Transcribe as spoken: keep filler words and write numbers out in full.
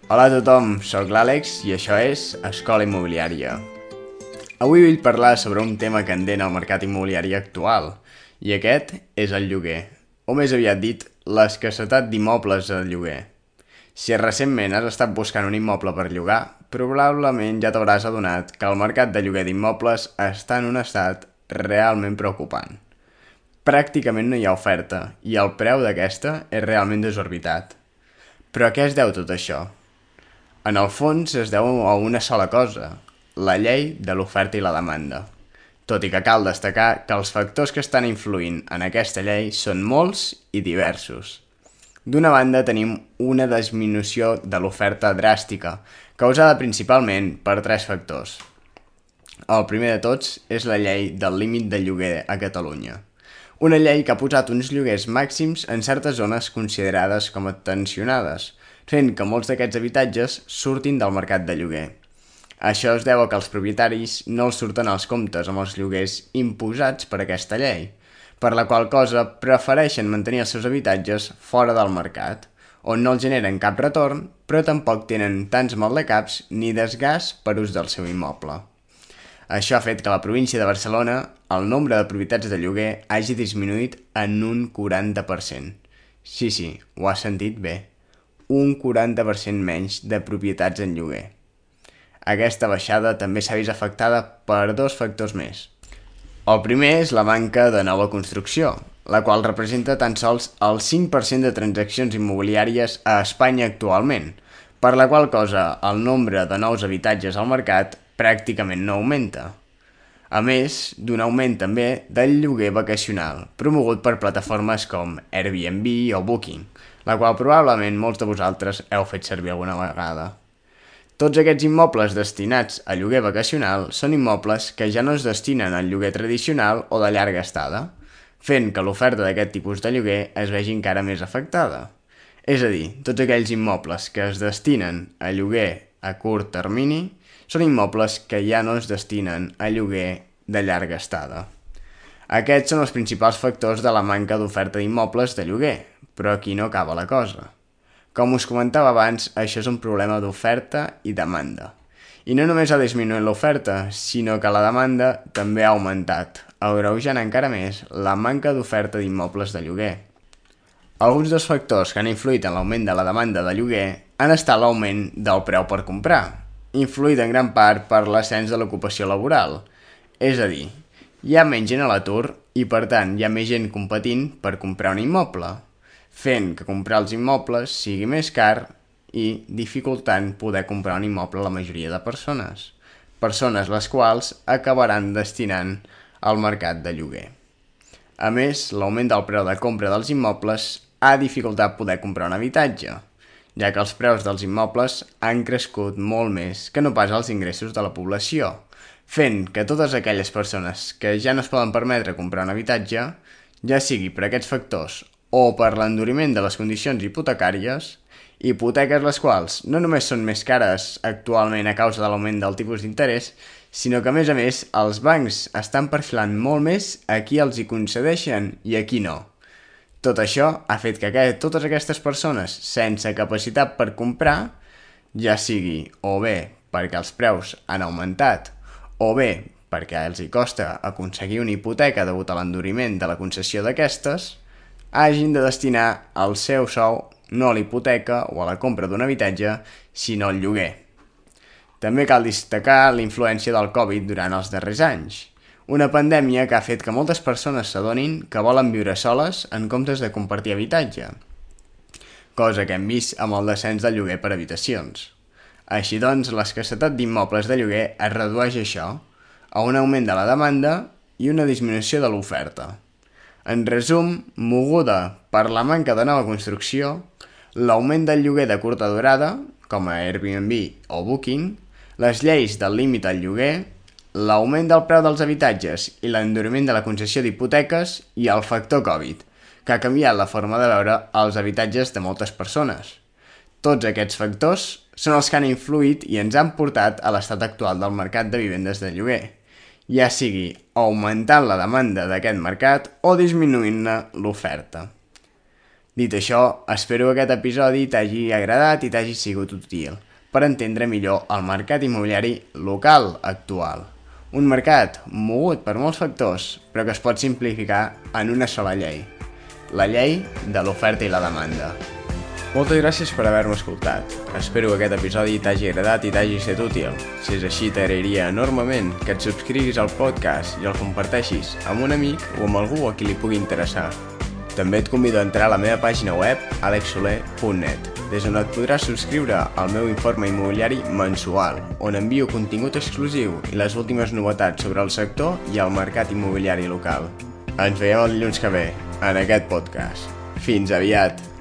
Hola a tothom, sóc l'Àlex i això és Escola Immobiliària. Avui vull parlar sobre un tema candent al mercat immobiliari actual, i aquest és el lloguer, o més aviat dit, l'escassetat d'immobles al lloguer. Si recentment has estat buscant un immoble per llogar, probablement ja t'hauràs adonat que el mercat de lloguer d'immobles està en un estat realment preocupant. Pràcticament no hi ha oferta i el preu d'aquesta és realment desorbitat. Però a què es deu tot això? En el fons es deu a una sola cosa, la llei de l'oferta i la demanda. Tot i que cal destacar que els factors que estan influint en aquesta llei són molts i diversos. D'una banda tenim una disminució de l'oferta dràstica, causada principalment per tres factors. El primer de tots és la llei del límit de lloguer a Catalunya. Una llei que ha posat uns lloguers màxims en certes zones considerades com a tensionades, fent que molts d'aquests habitatges surtin del mercat de lloguer. Això es deu a que els propietaris no els surten als comptes amb els lloguers imposats per aquesta llei, per la qual cosa prefereixen mantenir els seus habitatges fora del mercat, on no els generen cap retorn, però tampoc tenen tants maldecaps ni desgast per ús del seu immoble. Això ha fet que a la província de Barcelona el nombre de propietats de lloguer hagi disminuït en un quaranta per cent. Sí, sí, ho has sentit bé. Un quaranta per cent menys de propietats en lloguer. Aquesta baixada també s'ha vist afectada per dos factors més. El primer és la manca de nova construcció, la qual representa tan sols el cinc per cent de transaccions immobiliàries a Espanya actualment, per la qual cosa el nombre de nous habitatges al mercat pràcticament no augmenta. A més, d'un augment també del lloguer vacacional, promogut per plataformes com Airbnb o Booking, la qual probablement molts de vosaltres heu fet servir alguna vegada. Tots aquests immobles destinats a lloguer vacacional són immobles que ja no es destinen al lloguer tradicional o de llarga estada, fent que l'oferta d'aquest tipus de lloguer es vegi encara més afectada. És a dir, tots aquells immobles que es destinen a lloguer a curt termini són immobles que ja no es destinen a lloguer de llarga estada. Aquests són els principals factors de la manca d'oferta d'immobles de lloguer, però aquí no acaba la cosa. Com us comentava abans, això és un problema d'oferta i demanda. I no només ha disminuït l'oferta, sinó que la demanda també ha augmentat, agreujant encara més la manca d'oferta d'immobles de lloguer. Alguns dels factors que han influït en l'augment de la demanda de lloguer han estat l'augment del preu per comprar, influït en gran part per l'ascens de l'ocupació laboral. És a dir, hi ha menys gent a l'atur i per tant hi ha més gent competint per comprar un immoble, fent que comprar els immobles sigui més car i dificultant poder comprar un immoble a la majoria de persones, persones les quals acabaran destinant al mercat de lloguer. A més, l'augment del preu de compra dels immobles ha dificultat poder comprar un habitatge, ja que els preus dels immobles han crescut molt més que no pas els ingressos de la població, fent que totes aquelles persones que ja no es poden permetre comprar un habitatge, ja sigui per aquests factors o per l'enduriment de les condicions hipotecàries, hipoteques les quals no només són més cares actualment a causa de l'augment del tipus d'interès, sinó que a més a més els bancs estan perfilant molt més a qui els hi concedeixen i a qui no. Tot això ha fet que totes aquestes persones sense capacitat per comprar, ja sigui o bé perquè els preus han augmentat o bé perquè els hi costa aconseguir una hipoteca degut a l'enduriment de la concessió d'aquestes, hagin de destinar el seu sou no a la hipoteca o a la compra d'un habitatge, sinó al lloguer. També cal destacar la influència del Covid durant els darrers anys, una pandèmia que ha fet que moltes persones s'adonin que volen viure soles en comptes de compartir habitatge, cosa que hem vist amb el descens del lloguer per habitacions. Així doncs, l'escassetat d'immobles de lloguer es redueix a això, a un augment de la demanda i una disminució de l'oferta. En resum, moguda per la manca de nova construcció, l'augment del lloguer de curta durada, com a Airbnb o Booking, les lleis del límit al lloguer, l'augment del preu dels habitatges i l'enduriment de la concessió d'hipoteques i el factor Covid, que ha canviat la forma de veure els habitatges de moltes persones. Tots aquests factors són els que han influït i ens han portat a l'estat actual del mercat de vivendes de lloguer, ja sigui augmentant la demanda d'aquest mercat o disminuint-ne l'oferta. Dit això, espero que aquest episodi t'hagi agradat i t'hagi sigut útil per entendre millor el mercat immobiliari local actual. Un mercat mogut per molts factors, però que es pot simplificar en una sola llei. La llei de l'oferta i la demanda. Moltes gràcies per haver-me escoltat. Espero que aquest episodi t'hagi agradat i t'hagi estat útil. Si és així, t'agrairia enormement que et subscriguis al podcast i el comparteixis amb un amic o amb algú a qui li pugui interessar. També et convido a entrar a la meva pàgina web alex soler punt net, des on et podràs subscriure al meu informe immobiliari mensual, on envio contingut exclusiu i les últimes novetats sobre el sector i el mercat immobiliari local. Ens veiem el dilluns que ve, en aquest podcast. Fins aviat!